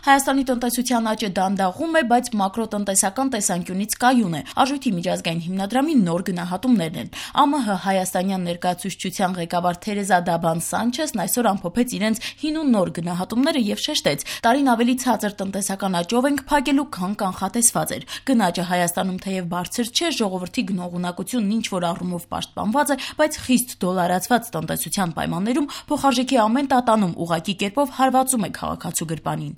Հայաստանի տնտեսության աճը դանդաղում է, բայց մակրոտնտեսական տեսանկյունից կայուն է։ Արժույթի միջազգային հիմնադրամի նոր գնահատումներն են։ ԱՄՀ հայաստանյան ներկայացուցչության ղեկավար Թերեզա Դաբան Սանչեսն այսօր ամփոփեց իրենց հին ու նոր գնահատումները եւ շեշտեց. տարին ավելի ցածր տնտեսական աճով ենք փակելու, քան կանխատեսված էր։ Գնաճը Հայաստանում թեև բարձր չէ, ժողովրդի գնողունակությունն ինչ որ առումով պաշտպանված է, բայց խիստ դոլարացված տնտեսության պայմաններում փոխարժեքի ամեն տատանում ուղղակի կերպով հարվածում է քաղաքացու գրպանին։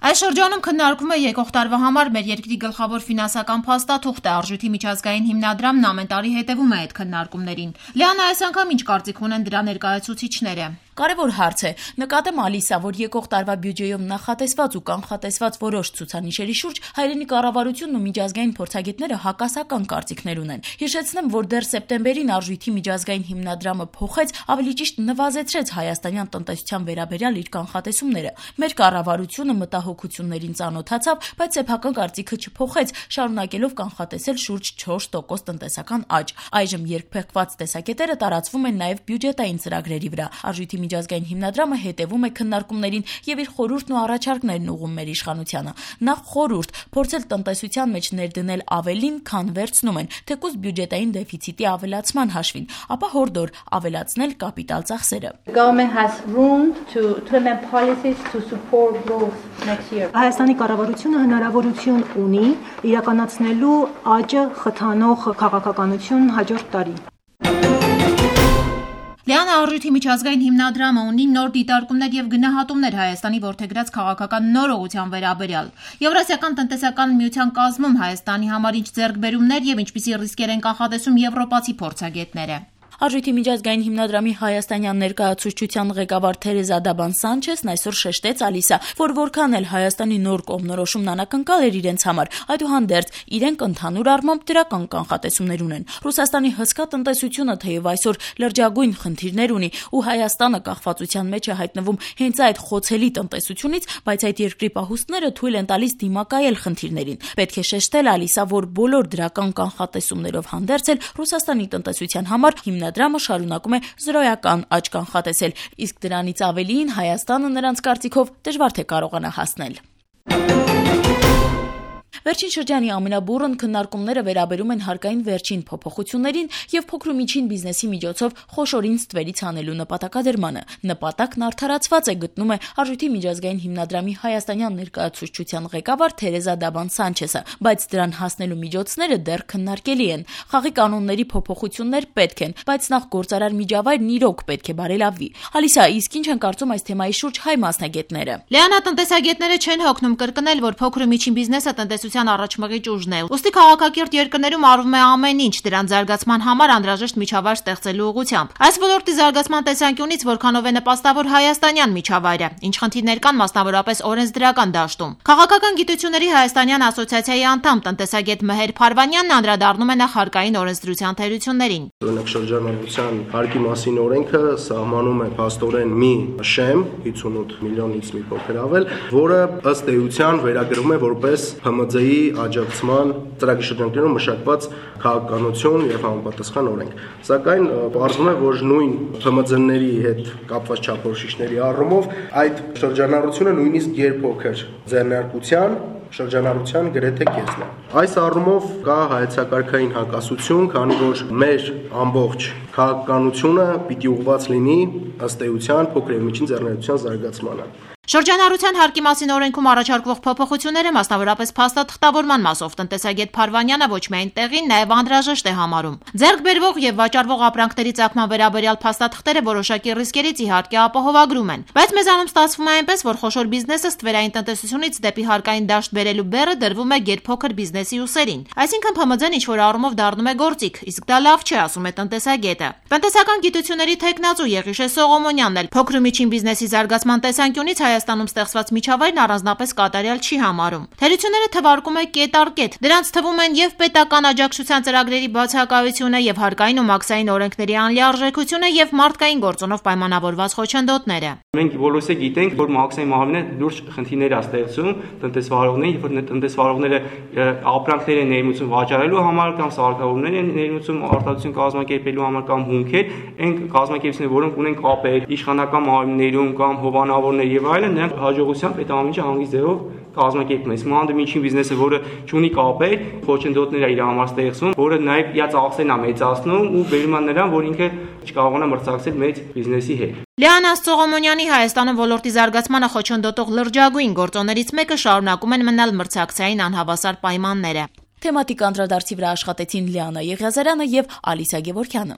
Այս շրջանում քննարկվում է եկող տարվա համար մեր երկրի գլխավոր ֆինանսական փաստաթուղթը։ Արժույթի միջազգային հիմնադրամն ամեն տարի հետևում է այդ քննարկումներին։ Լիանա, այս անգամ ինչ կարծիք ունեն դրա ներկայացուցիչները։ Կարևոր հարց է։ Նկատեմ Ալիսա, որ եկող տարվա բյուջեում նախատեսված ու կանխատեսված որոշ ցուցանիշերի շուրջ հայրենի կառավարությունն ու միջազգային փորձագետները հակասական կարծիքներ ունեն։ Հիշեցնեմ, որ դեռ սեպտեմբերին Արժույթի միջազգային հիմնադրամը փոխեց, ավելի ճիշտ նվազեցրեց հայաստանյան տնտեսության վերաբերյալ իր կանխատեսումները։ Մեր կառավարությունը մտահոգություններին ծանոթացավ, բայց սեփական կարծիքը չփոխեց, շարունակելով կանխատեսել շուրջ 4% տնտեսական աճ։ Այժմ երկփեղկված տեսակետերը տարածվում են նաև բյուջետային ծրագրերի վրա։ Արժույթի միջազգային հիմնադրամը հետևում է քննարկումներին եւ իր խորհուրդն ու առաջարկներն ուղղում մեր իշխանությանը։ Նախ խորհուրդ փորձել տնտեսության մեջ ներդնել ավելին, քան վերցնում են, թեկուզ բյուջետային դեֆիցիտի ավելացման հաշվին, ապա հորդոր ավելացնել կապիտալ ծախսերը։ Հայաստանի կառավարությունը հնարավորություն ունի իրականացնելու աճը խթանող քաղաքականություն հաջորդ տարի։ Լիանա, Արժույթի միջազգային հիմնադրամը ունի նոր դիտարկումներ եւ գնահատումներ Հայաստանի որդեգրած քաղաքական նոր ուղղության վերաբերյալ։ Եվրասիական տնտեսական միության կազմում Հայաստանի համար ինչ ձեռքբերումներ եւ ինչպիսի ռիսկեր են կանխատեսում եվրոպացի փորձագետները։ Արժույթի միջազգային հիմնադրամի հայաստանյան ներկայացուցչության ղեկավար Թերեզա Դաբան Սանչեսն այսօր շեշտեց Ալիսա, որ որքան էլ Հայաստանի նոր կողմնորոշումն անակնկալ էր իրենց համար, այդուհանդերձ իրենք ընդհանուր առմամբ դրական կանխատեսումներ ունեն։ Ռուսաստանի հսկա տնտեսությունը թեև այսօր լրջագույն խնդիրներ ունի ու Հայաստանը կախվածության մեջ է հայտնվում հենց այդ խոցելի տնտեսությունից, բայց այդ երկրի պահուստները թույլ են տալիս դիմակայել խնդիրներին։ Պետք է շեշտել Ալիսա, որ բոլոր դրական կանխատեսումներով հանդերձ էլ Ռուսաստանի տնտեսության համար Հիմնադրամը շարունակում է զրոյական աճ կանխատեսել, իսկ դրանից ավելին Հայաստանը նրանց կարծիքով դժվար թե կարողանա հասնել։ Վերջին շրջանի ամենաբուրըն քննարկումները վերաբերում են հարկային վերջին փոփոխություններին եւ փոքր ու միջին բիզնեսի միջոցով խոշորին ստվերից հանելու նպատակադրմանը։ Նպատակն արդարացված է, գտնում է Արժույթի միջազգային հիմնադրամի հայաստանյան ներկայացուցչության ղեկավար Թերեզա Դաբան Սանչեսը, բայց դրան հասնելու միջոցները դեռ քննարկելի են։ Խաղի կանոնների փոփոխություններ պետք են, բայց նախ գործարար միջավայրն իրոք պետք է բարելավվի։ Ալիսա, իսկ ինչ են կարծում այս թեմայի շուրջ հայ մասնագետները։ Լիանա, տնտեսագետները չեն հոգնում կրկնել, որ փոքր ու միջին բիզնեսը տնտեսության առաջմղիչ ուժն է։ Ուստի քաղաքակիրթ երկրներում արվում է ամեն ինչ դրան զարգացման համար անհրաժեշտ միջավայր ստեղծելու ուղղությամբ։ Այս ոլորտի զարգացման տեսանկյունից որքանով է նպաստավոր հայաստանյան միջավայրը, ինչ խնդիրներ կան մասնավորապես օրենսդրական դաշտում։ Քաղաքական գիտությունների հայաստանյան ասոցիացիայի անդամ տնտեսագետ Մեհեր Փարվանյանն անդրադառնում է նախ հարկային օրենսդրության թերություններին։ Օրինակ շրջանառության հարկի մասին օրենքը սահմանում է փաստորեն մի շեմ 58 միլիոնից մի փոքր ավել, որը ըստ էության վերագրվում է որպես ՀՄԶ-ի աջակցման ծրագրի շրջանակներում մշակված քաղաքականություն եւ համապատասխան օրենք։ Սակայն պարզվում է, որ նույն ՀՄԶ-ների հետ կապված չափորոշիչների առումով այդ շրջանառությունը նույնիսկ երբոքր ձեռնարկության շրջանառության գրեթե կեսն է։ Այս առումով կա հայեցակարգային հակասություն, քանի որ մեր ամբողջ քաղաքականությունը պիտի ուղղված լինի ըստ էության փոքր եւ միջին ձեռնարկության զարգացմանը։ Շրջանառության հարկի մասին օրենքում առաջարկվող փոփոխությունները մասնավորապես փաստաթղթավորման մասով տնտեսագետ Փարվանյանը ոչ միայն տեղին, նաև անհրաժեշտ է համարում։ Ձեռք բերվող եւ վաճառվող ապրանքների ծագման վերաբերյալ փաստաթղթերը որոշակի ռիսկերից իհարկե ապահովագրում են, բայց մեզանում ստացվում է այնպես, որ խոշոր բիզնեսը ստվերային տնտեսությունից դեպի հարկային դաշտ բերելու բեռը դրվում է գերփոքր բիզնեսի ուսերին։ Այսինքն ՓՄԶ-ն ինչ-որ առումով դառնում է գործիք, իսկ դա լավ չէ, ասում է տնտեսագետը։ Տնտեսական գիտությունների թեկնածու Եղիշե Սողոմոնյանն էլ փոքր ու միջին բիզնեսի զարգացման տեսանկյունից Հայաստանում ստեղծված միջավայրն առանձնապես կատարյալ չի համարում։ Թերությունները թվարկում է կետ առ կետ։ Դրանց թվում են եւ պետական աջակցության ծրագրերի բացակայությունը, եւ հարկային ու մաքսային օրենքների անլիարժեքությունը, եւ մարդկային գործոնով պայմանավորված խոչընդոտները։ Մենք բոլորս գիտենք, որ մաքսային մահվինը լուրջ խնդիրներ է ստեղծում տնտեսվարողներին, որ տնտեսվարողները ապրանքներ են ներմուծում վաճառելու համար կամ սարքավորումներ են ներմուծում արտադրություն կազմակերպելու համար կամ հումքեր, այն կազմակերպությունները, որոնք ունեն կապեր իշխանական մարմիններում կամ հովանավորներ եւ այլն, վճարել են, նրանք հաջողությամբ այդ ամենը հանգիստ ձևով կազմակերպում են։ Մանավանդ միջին բիզնեսը, որը չունի կապեր, խոչընդոտներ է իր համար ստեղծում, որը նաև իր ծախսերն է մեծացնում ու բերում է նրան, որ ինքը չկարողանա մրցակցել մեծ բիզնեսի հետ։ Լիանա Սողոմոնյանի Հայաստանում ոլորտի զարգացմանը խոչընդոտող լրջագույն գործոններից մեկը շարունակում են մնալ մրցակցային անհավասար պայմանները։ Թեմատիկ անդրադարձի վրա աշխատեցին Լիանա Եղիազարյանը եւ Ալիսա Գևորգյանը։